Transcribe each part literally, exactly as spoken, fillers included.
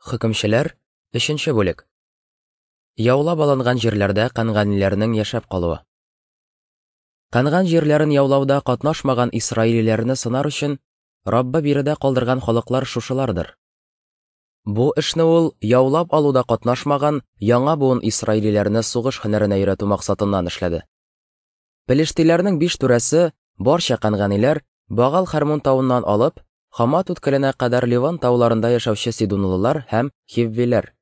Хөкемчеләр, өченче бүлек. Яулап алынган җирләрдә кәнганиләрнең яшәп калуы. Кәнган җирләрен яулауда катнашмаган исраилиләрне сынар өчен Раббы биредә калдырган халыклар шушылардыр. Бу эшне ул яулап алуда катнашмаган яңа буын исраилиләрне сугыш һөнәренә өйрәтү максатыннан эшләде. Пелештиләрнең биш түрәсе, барча кәнганиләр, Багал Хәрмун тавыннан алып, Хамат үткеленә кадәр Ливан тауларында яшәүче сидунлылар һәм хиввиләр.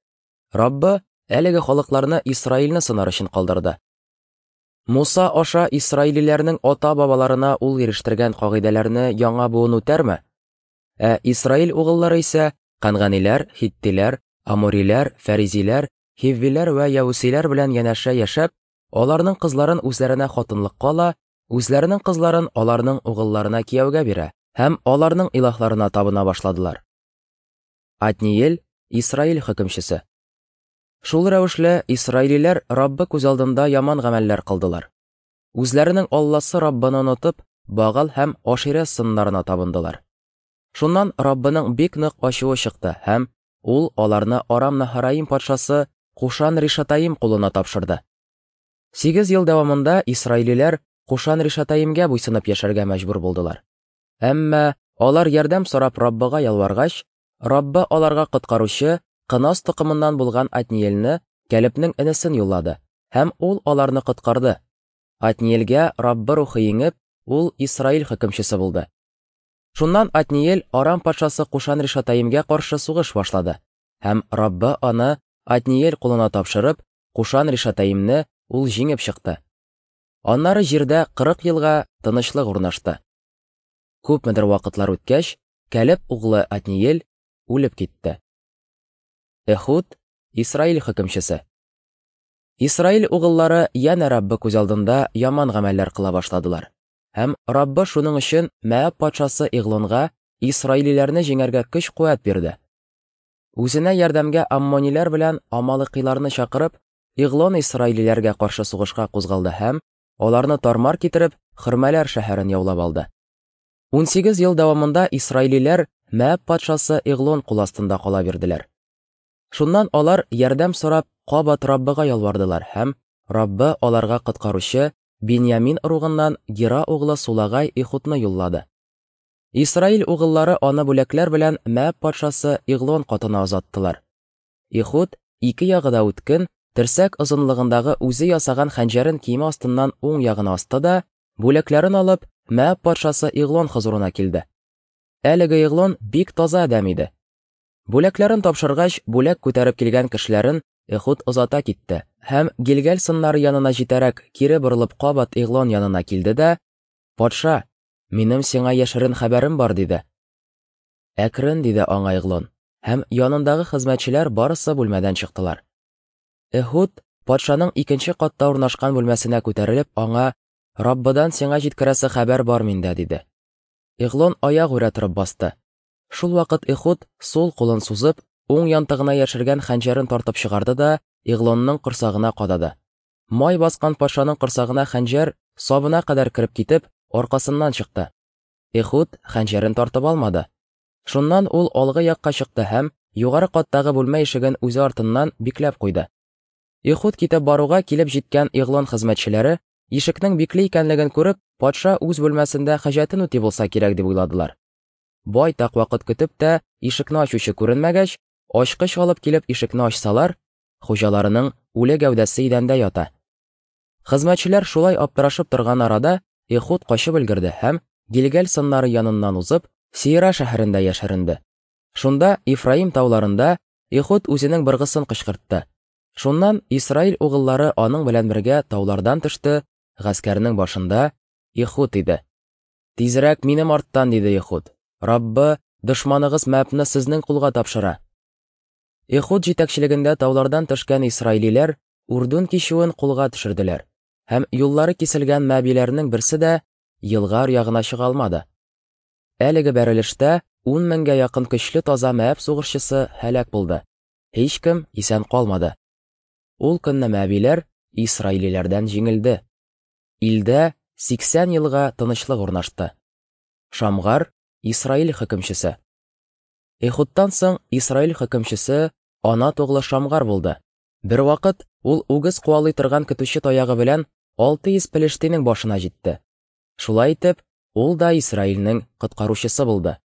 Раббы әлеге халыкларны Исраилне сынар өчен калдырды. Муса аша исраилиләрнең ата-бабаларына ул ирештергән кагыйдәләрне яңа буын үтәрме? Ә Исраил угыллары исә кәнганиләр, хиттиләр, амориләр, фәризиләр, хиввиләр вә явусиләр белән янәшә яшәп, аларның кызларын үзләренә хатынлыкка ала, үзләренең кызларын аларның угылларына кияүгә бирә һәм аларның илаһларына табына башладылар. Отниел, Исраил хөкемчесе. Шул рәвешле исраилиләр Раббы күз алдында яман гамәлләр кылдылар. Үзләренең Алласы Раббыны онытып, Багал һәм Аширә сыннарына табындылар. Шуннан Раббының бик нык ачуы чыкты һәм ул аларны Арам Наһараим патшасы Кушан Ришатаим кулына тапшырды. Сигез ел дәвамында исраилиләр Кушан Ришатаимгә буйсынып яшәргә мәҗбүр булдылар. Әмма алар ярдәм сорап Раббыга ялваргач, Раббы аларга коткаручы Кынас токымыннан булган Отниелне, Кәлебнең энесен юллады, һәм ул аларны коткарды. Отниелгә Раббы рухы иңеп, ул Исраил хөкемчесе булды. Шуннан Отниел Арам патшасы Кушан Ришатаимгә каршы сугыш башлады, һәм Раббы аны Отниел кулына тапшырып, Кушан Ришатаимне ул җиңеп чыкты. Аннары җирдә кырык елга тынычлык урнашты. Күпмедер вакытлар үткәч, Кәлеб углы Отниел үлеп китте. Эхуд, Исраил хөкемчесе. Исраил угыллары янә Раббы күз алдында яман гамәлләр кыла башладылар. Һәм Раббы шуның өчен Мәаб патшасы Иглонга исраилиләрне җиңәргә көч-куәт бирде. Үзенә ярдәмгә аммониләр белән амалыкиларны чакырып, Иглон исраилиләргә каршы сугышка кузгалды һәм аларны тармар китереп, Хөрмәләр шәһәрен яулап алды. Унсигез ел дәвамында исраилиләр Мәаб патшасы Иглон кул астында кала бирделәр. Шуннан алар ярдәм сорап кабат Раббыга ялвардылар һәм Раббы аларга коткаручы Биньямин ыругыннан Гера углы Сулагай Эхудны юллады. Исраил угыллары аны бүләкләр белән Мәаб патшасы Иглон катына озаттылар. Эхуд ике ягы да үткен, терсәк озынлыгындагы үзе ясаган хәнҗәрен киеме астыннан уң ягына асты да, бүләкләрен алып, Мәаб патшасы Иглон хозурына килде. Әлеге Иглон бик таза адәм иде. Бүләкләрен тапшыргач, бүләк күтәреп килгән кешеләрен Эхуд озата китте һәм Гилгәл сыннары янына җитәрәк кире борылып кабат Иглон янына килде дә, «Патша, минем сиңа яшерен хәбәрем бар», диде. «Әкрен», диде аңа Иглон, һәм янындагы хезмәтчеләр барысы бүлмәдән чыктылар. Эхуд патшаның икенче катта урнашкан бүлмәсенә күтәрелеп аңа, «Раббыдан сиңа җиткерәсе хәбәр бар миндә», диде. Иглон аяк үрә торып басты. Шул вакыт Эхуд сул кулын сузып, уң янтыгына яшергән хәнҗәрен тартып чыгарды да Иглонның корсагына кадады. Май баскан патшаның корсагына хәнҗәр сабына кадәр кереп китеп, аркасыннан чыкты. Эхуд хәнҗәрен тартып алмады. Шуннан ул алгы якка чыкты һәм югары каттагы бүлмә ишеген үзе артыннан бикләп куйды. Эхуд китеп баруга килеп җиткән Иглон хезмәтчеләре ишекнең бикле икәнлеген күреп, патша үз бүлмәсендә хаҗәтен үти булса кирәк дип уйладылар. Байтак вакыт көтеп тә ишекне ачучы күренмәгәч, ачкыч алып килеп ишекне ачсалар, хуҗаларының үле гәүдәсе идәндә ята. Хезмәтчеләр шулай аптырашып торган арада Эхуд качып өлгерде һәм Гилгәл сыннары яныннан узып, Сира шәһәрендә яшеренде. Шунда Ифраим тауларында Эхуд үзенең быргысын кычкыртты. Шуннан Исраил угыллары аның белән бергә таулардан төште, гаскәрнең башында Эхуд иде. «Тизрәк минем арттан», диде Эхуд. «Раббы, дошманыгыз Мәабны сезнең кулга тапшыра». Эхуд җитәкчелегендә таулардан төшкән исраилиләр Урдун кичүен кулга төшерделәр һәм юллары киселгән мәбиләрнең берсе дә елга ягына чыга алмады. Әлеге бәрелештә ун меңгә якын көчле таза Мәаб сугышчысы һәлак булды. Һичкем исән калмады. Ул көнне мәбиләр исраилиләрдән җиңелде. Илдә сиксән елга тынычлык урнашты. Шамгар, Исраил хөкемчесе. Эхудтан соң Исраил хөкемчесе Анат углы Шамгар булды. Бервакыт ул үгез куалый торган көтүче таягы белән алты йөз пелештинең башына җитте. Шулай итеп, ул да Исраилнең коткаручысы булды.